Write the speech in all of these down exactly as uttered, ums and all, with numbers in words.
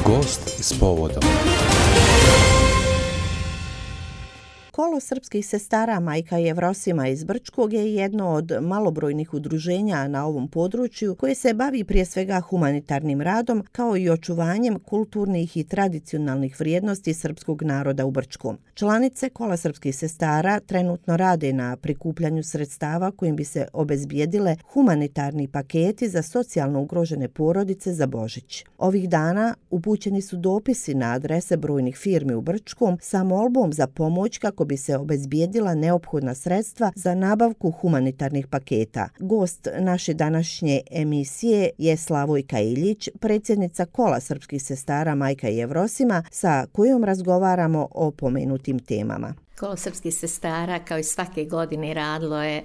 Gost s povodom. Kolo srpskih sestara Majka Jevrosima iz Brčkog je jedno od malobrojnih udruženja na ovom području koje se bavi prije svega humanitarnim radom kao i očuvanjem kulturnih i tradicionalnih vrijednosti srpskog naroda u Brčkom. Članice Kola srpskih sestara trenutno rade na prikupljanju sredstava kojim bi se obezbijedile humanitarni paketi za socijalno ugrožene porodice za Božić. Ovih dana upućeni su dopisi na adrese brojnih firmi u Brčkom sa molbom za pomoć kako bi se obezbijedila neophodna sredstva za nabavku humanitarnih paketa. Gost naše današnje emisije je Slavojka Iljić, predsjednica Kola srpskih sestara Majka Jevrosima, sa kojom razgovaramo o pomenutim temama. Kolo srpskih sestara kao i svake godine radilo je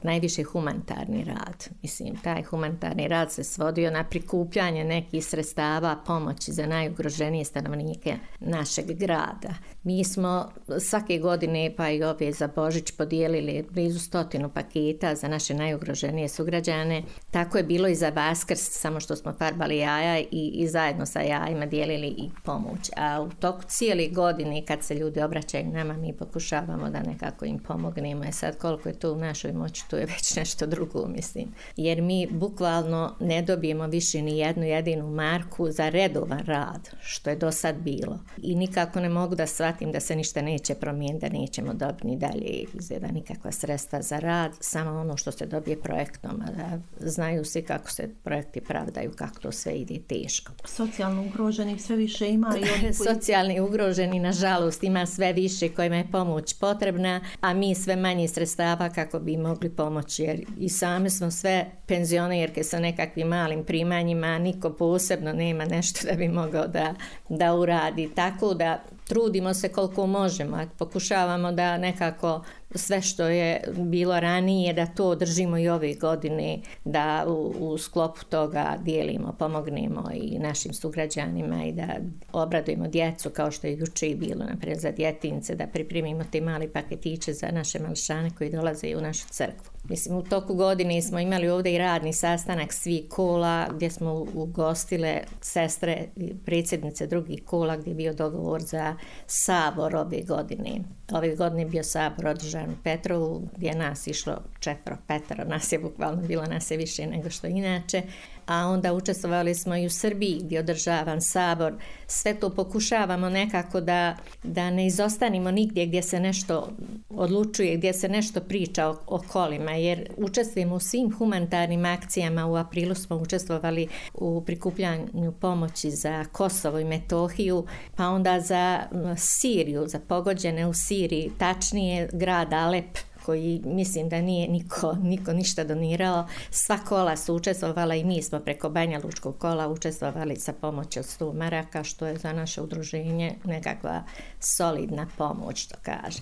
najviše humanitarni rad. Mislim, taj humanitarni rad se svodio na prikupljanje nekih sredstava pomoći za najugroženije stanovnike našeg grada. Mi smo svake godine, pa i ove za Božić, podijelili blizu stotinu paketa za naše najugroženije sugrađane. Tako je bilo i za Vaskrs, samo što smo farbali jaja i, i zajedno sa jajima dijelili i pomoć. A u toku cijele godine, kad se ljudi obraćaju nama, mi pokušavamo da nekako im pomognemo. E sad, koliko je to u našoj moći, to je već nešto drugo, mislim. Jer mi bukvalno ne dobijemo više ni jednu jedinu marku za redovan rad, što je do sad bilo. I nikako ne mogu da shvatim da se ništa neće promijeniti, da nećemo dobiti ni dalje izgleda nikakva sredstva za rad, samo ono što se dobije projektom, a da znaju svi kako se projekti pravdaju, kako to sve ide teško. Socijalno ugroženih sve više ima. I oni koji... Socijalni ugroženi, nažalost, ima sve više kojima je pomoć potrebna, a mi sve manje sredstava kako bi mogli pomoći, jer i sami smo sve penzionerke sa nekakvim malim primanjima, niko posebno nema nešto da bi mogao da, da uradi. Tako da trudimo se koliko možemo, pokušavamo da nekako sve što je bilo ranije, da to držimo i ove godine, da u, u sklopu toga dijelimo, pomognemo i našim sugrađanima i da obradujemo djecu, kao što je juče i bilo, naprijed za djetince, da pripremimo te mali paketiće za naše mališane koji dolaze u našu crkvu. Mislim, u toku godine smo imali ovdje i radni sastanak svih kola, gdje smo ugostile sestre, predsjednice drugih kola, gdje je bio dogovor za sabor ove godine. Ove godine je bio sabor održan u Petrovu, gdje je nas išlo četvro, petero, nas je bukvalno bilo, nas je više nego što inače. A onda učestvovali smo i u Srbiji gdje je održavan sabor. Sve to pokušavamo nekako da, da ne izostanimo nigdje gdje se nešto odlučuje, gdje se nešto priča o, o kolima, jer učestvujemo u svim humanitarnim akcijama. U aprilu smo učestvovali u prikupljanju pomoći za Kosovo i Metohiju, pa onda za Siriju, za pogođene u Siriji, tačnije grad Alep, koji mislim da nije niko, niko ništa donirao. Sva kola su učestvovala i mi smo preko Banja Lučkog kola učestvovali sa pomoći od sto maraka, što je za naše udruženje nekakva solidna pomoć, što kaže.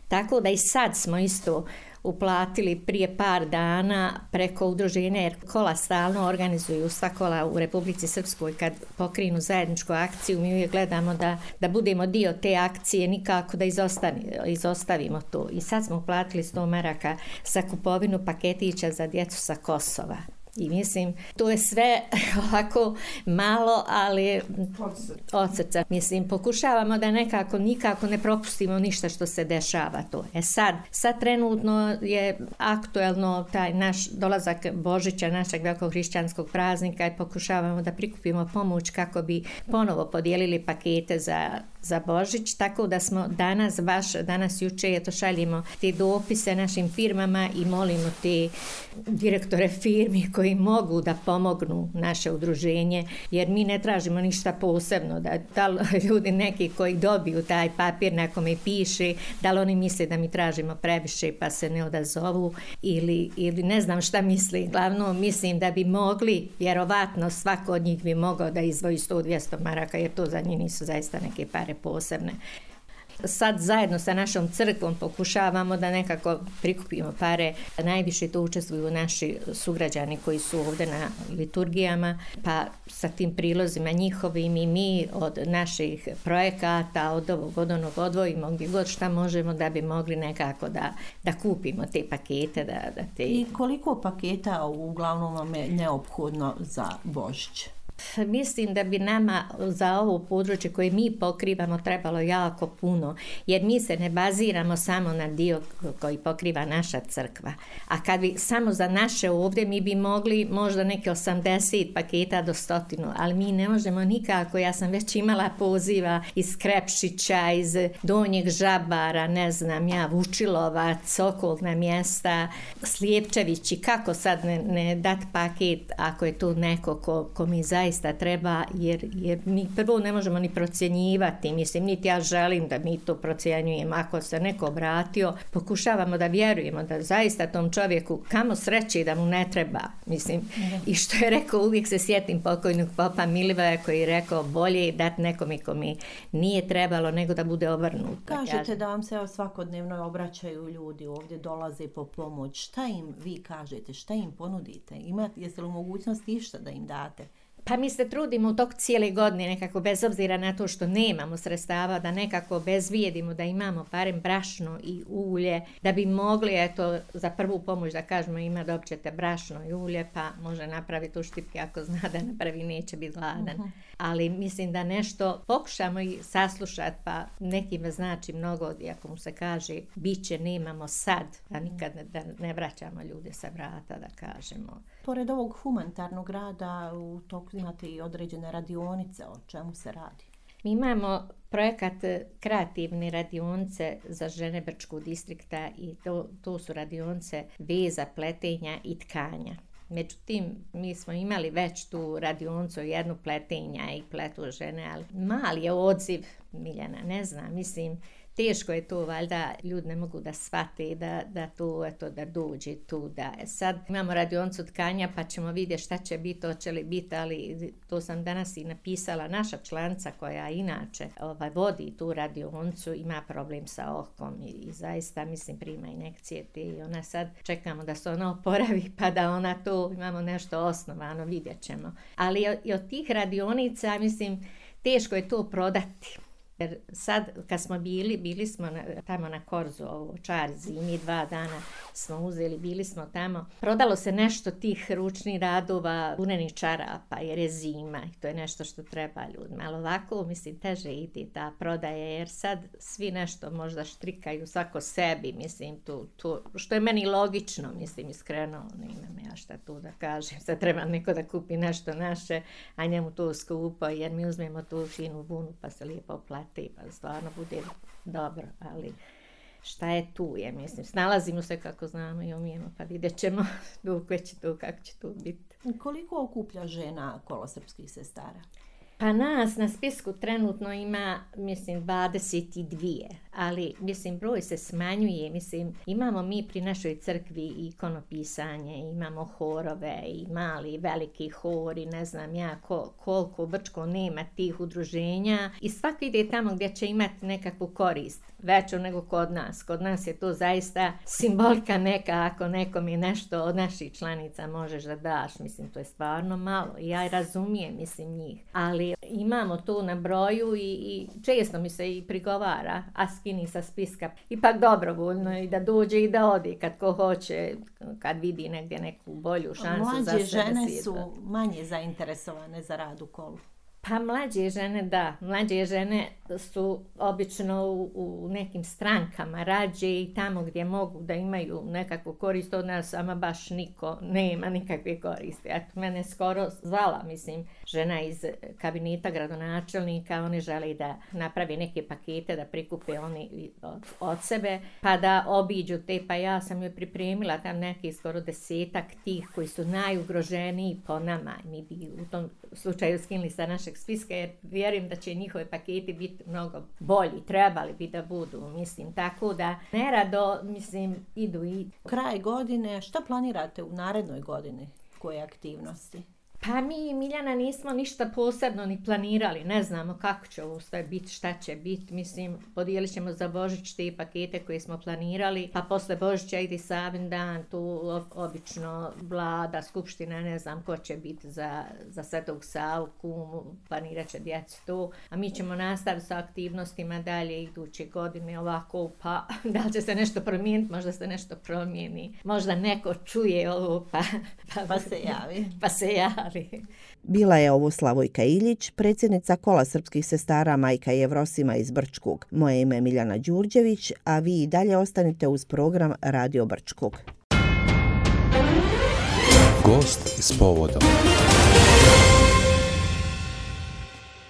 Tako da i sad smo isto uplatili prije par dana preko udruženja, jer kola stalno organizuju, sva kola u Republici Srpskoj kad pokrinu zajedničku akciju, mi uvijek gledamo da, da budemo dio te akcije, nikako da izostavimo to. I sad smo uplatili sto maraka za kupovinu paketića za djecu sa Kosova. I mislim, to je sve ovako malo, ali od srca. Mislim, pokušavamo da nekako nikako ne propustimo ništa što se dešava to. E sad, sad trenutno je aktuelno taj naš dolazak Božića, našeg velikog hrišćanskog praznika, i pokušavamo da prikupimo pomoć kako bi ponovo podijelili pakete za za Božić, tako da smo danas, baš danas juče, eto šaljimo te dopise našim firmama i molimo te direktore firmi koji mogu da pomognu naše udruženje, jer mi ne tražimo ništa posebno, da, da ljudi neki koji dobiju taj papir na kome piše, da li oni misle da mi tražimo previše pa se ne odazovu ili, ili ne znam šta misli. Glavno mislim da bi mogli, vjerovatno svako od njih bi mogao da izdvoji sto do dvjesto maraka, jer to za njih nisu zaista neke pare posebne. Sad zajedno sa našom crkvom pokušavamo da nekako prikupimo pare. Najviše to učestvuju naši sugrađani koji su ovdje na liturgijama, pa sa tim prilozima njihovim i mi od naših projekata, od ovog od onog odvojimo gdje god šta možemo da bi mogli nekako da, da kupimo te pakete. Da, da te... I koliko paketa uglavnom vam je neophodno za Božić? Mislim da bi nama za ovo područje koje mi pokrivamo trebalo jako puno, jer mi se ne baziramo samo na dio koji pokriva naša crkva. A kad bi samo za naše ovdje, mi bi mogli možda neke osamdeset paketa do stotinu, ali mi ne možemo nikako. Ja sam već imala poziva iz Krepšića, iz Donjeg Žabara, ne znam ja, Vučilovac, okolna mjesta, Slijepčevići, kako sad ne, ne dat paket ako je tu neko ko, ko mi zaista treba, jer, jer mi prvo ne možemo ni procjenjivati, mislim, niti ja želim da mi to procjenjujemo. Ako se neko obratio, pokušavamo da vjerujemo da zaista tom čovjeku kamo sreće da mu ne treba, mislim. Mm. I što je rekao, uvijek se sjetim pokojnog popa Milivoja koji je rekao, bolje je dati nekome kome nije trebalo nego da bude obrnuto. Kažete ja... da vam se svakodnevno obraćaju ljudi, ovdje dolaze po pomoć. Šta im vi kažete, šta im ponudite? Imate, jeste li u mogućnosti išta da im date? Pa mi se trudimo u toku cijele godine nekako, bez obzira na to što nemamo sredstava, da nekako bezvijedimo, da imamo barem brašno i ulje, da bi mogli, eto, za prvu pomoć da kažemo ima dobćete brašno i ulje, pa može napraviti u štipke, ako zna da napravi, neće biti gladan. Uh-huh. Ali mislim da nešto pokušamo i saslušati, pa nekima znači mnogo, ako mu se kaže, bit će, nemamo sad, da nikad ne, da ne vraćamo ljude sa vrata, da kažemo. Pored ovog humanitarnog rada, u toku imate i određene radionice, o čemu se radi? Mi imamo projekat kreativne radionice za žene Brčkog distrikta i to, to su radionice veza, pletenja i tkanja. Međutim, mi smo imali već tu radionicu, jednu pletenja i pletu žene, ali mali je odziv, Miljana, ne znam, mislim, teško je to, valjda ljudi ne mogu da shvate da, da to, eto, da dođe tu, da sad imamo radionicu tkanja pa ćemo vidjeti šta će biti, hoće li biti, ali to sam danas i napisala, naša članica koja inače ovaj, vodi tu radionicu ima problem sa okom i, i zaista, mislim, prima injekcije te i ona sad čekamo da se ona oporavi pa da ona to, imamo nešto osnovano, vidjet ćemo. Ali i od tih radionica, mislim, teško je to prodati. Jer sad kad smo bili, bili smo na, tamo na Korzu, ovo Čarzi, i mi dva dana smo uzeli, bili smo tamo. Prodalo se nešto tih ručnih radova, unenih čarapa, jer je zima i to je nešto što treba ljudima. Ali ovako, mislim, teže ide ta prodaja, jer sad svi nešto možda štrikaju svako sebi, mislim, tu, tu, što je meni logično, mislim, iskreno, nemam ja šta tu da kažem. Sad treba neko da kupi nešto naše, a njemu to skupo, jer mi uzmemo tu finu vunu pa se lijepo plati. Pa stvarno bude dobro, ali šta je tu je, mislim, snalazimo se kako znamo i umijemo, pa vidjet ćemo dok će to, kako će to biti. Koliko okuplja žena Kolo srpskih sestara? Pa nas na spisku trenutno ima, mislim, dvadeset dvije, ali, mislim, broj se smanjuje, mislim, imamo mi pri našoj crkvi ikonopisanje, imamo horove i mali i veliki hori, ne znam ja ko, koliko u Brčkom nema tih udruženja i svako ide tamo gdje će imati nekakvu korist, veću nego kod nas. Kod nas je to zaista simbolika neka, ako nekom je nešto od naših članica možeš da daš, mislim, to je stvarno malo i ja razumijem, mislim, njih, ali imamo to na broju i, i često mi se i prigovara, a skini sa spiska, ipak dobrovoljno i da dođe i da ode kad ko hoće, kad vidi negdje neku bolju šansu. Mlađe za sve žene su manje zainteresovane za rad u Kolu. Pa mlađe žene, da. Mlađe žene su obično u, u nekim strankama rađe i tamo gdje mogu da imaju nekakvu korist od nas, ama baš niko nema nikakve koriste. Eto, mene skoro zvala, mislim, žena iz kabineta gradonačelnika, oni žele da napravi neke pakete, da prikupe oni od, od sebe, pa da obiđu te, pa ja sam joj pripremila tam neki skoro desetak tih koji su najugroženiji po nama. Mi bi u tom slučaju skinuli sa našeg spiska, jer vjerujem da će njihove paketi biti mnogo bolji, trebali bi da budu, mislim, tako da nerado, mislim, idu i... Kraj godine, šta planirate u narednoj godini, koje aktivnosti? Pa mi, Miljana, nismo ništa posebno ni planirali, ne znamo kako će ovo sve biti, šta će biti, mislim, podijelit ćemo za Božić te pakete koje smo planirali, pa posle Božića ide Savin dan, tu obično vlada, skupština, ne znam ko će biti za, za Svetog Savu, kumu, planirat će djeci to, a mi ćemo nastaviti sa aktivnostima dalje iduće godine ovako, pa da li će se nešto promijeniti, možda se nešto promijeni, možda neko čuje ovo, pa, pa, pa se javi. Pa se javi. fali. Bila je ovo Slavojka Iljić, predsjednica Kola srpskih sestara Majka Jevrosima iz Brčkog. Moje ime je Miljana Đurđević, a vi i dalje ostanite uz program Radio Brčkog. Gost s povodom.